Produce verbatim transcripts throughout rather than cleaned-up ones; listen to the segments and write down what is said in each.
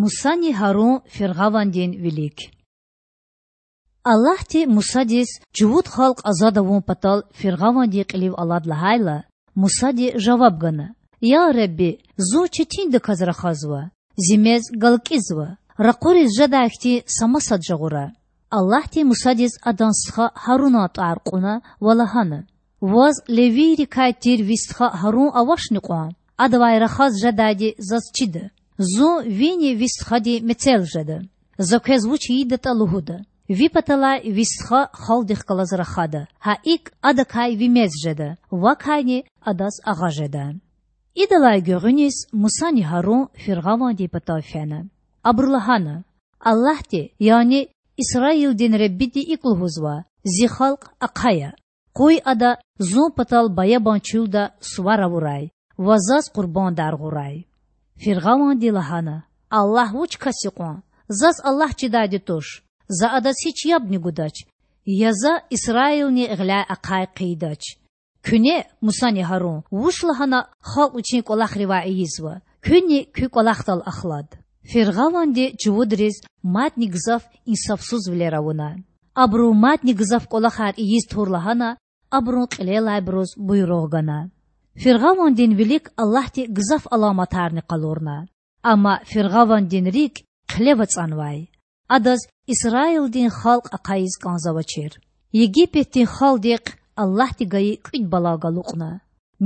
Мусани Гьарун фиргъавандин вилик. Аллагьди Мусадиз чувуд халкь азад авун патал фиргъавандин кьилив алад лагьайла, Мусади жаваб гана: Я Худа, зун четиндаказ рахазва, зи мез галкӀизва, ракъуриз жедай хьтин са масад жагъура. Аллагьди Мусадиз адан стха Гьарунан тӀвар кьуна ва лагьана: Ваз левийрикай тир ви стха Гьарун авачни кьван? Адавай рахаз жедайди заз чида. Зун вини ви стхадин мецел жеда. За квез вуч ийидатӀа лугьуда. Ви паталай ви стха халкьдихъ галаз рахада, гьа икӀ адакай ви мез жеда, вакайни адаз агъа жеда. Идалай гуьгъуьниз Мусани Гьарун фиргъавандин патав фена. Абуру лагьана: Аллагьди, яни Исраилдин Худади икӀ лугьузва: зи халкь ахъая. Къуй ада зун патал баябан чуьлда сувар авурай ва заз къурбандар гъурай. Фиргъаванди лагьана: Аллагь вуч кас я кьван? Заз Аллагь чидайди туш. За адаз гьич ябни гудач, я за Исраилни гъиляй ахъай хъийидач. Куьне, Мусани Гьарун, вуч лагьана халкь вичин кӀвалахривай ийизва, куьнни куь кӀвалахдал ахлад. Фиргъаванди чувудриз мадни гзаф инсафсузвилер авуна. Абуру мадни гзаф кӀвалахар ийиз тур лагьана, абурун кьилелайбуруз буйругъ гана. Фиргъавандин вилик Аллагьди гзаф аламатарни къалурна. Амма фиргъавандин рикӀ хъилев ацӀанвай. Адаз Исраилдин халкь ахъайиз кӀанзавачир. Египетдин халкьдихъ Аллагьди гайи кӀуьд бала галукьна.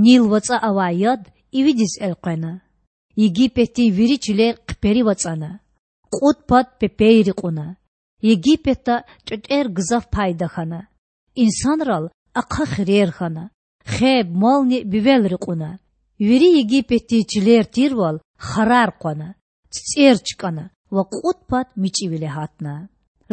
Нил вацӀа авай яд ивидиз элкъвена. Египетдин вири чилер хъиперив ацӀана. Кьуд пад пепейри кьуна. Египетда тӀветӀер гзаф пайда хьана. Инсанрал ахъа хирер хьана, хеб-мални бивелри кьуна. Вири Египетдин чилер тирвал харар къвана, цицӀер чкӀана ва кьуд пад мичӀивиле гьатна.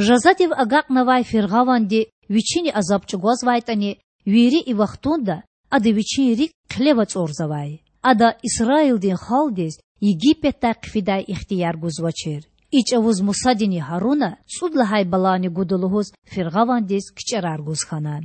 Жазадив агакьнавай фиргъаванди вичини азаб чӀугвазвайтӀани, вири и вахтунда ада вичин рикӀ хъилев ацӀурзавай. Ада Исраилдин халкьдиз Египетдай хъфидай ихтияр гузвачир. И чӀавуз Мусадини Гьаруна цӀуд лагьай балани гуда лугьуз фиргъавандиз кичӀерар гуз хьана.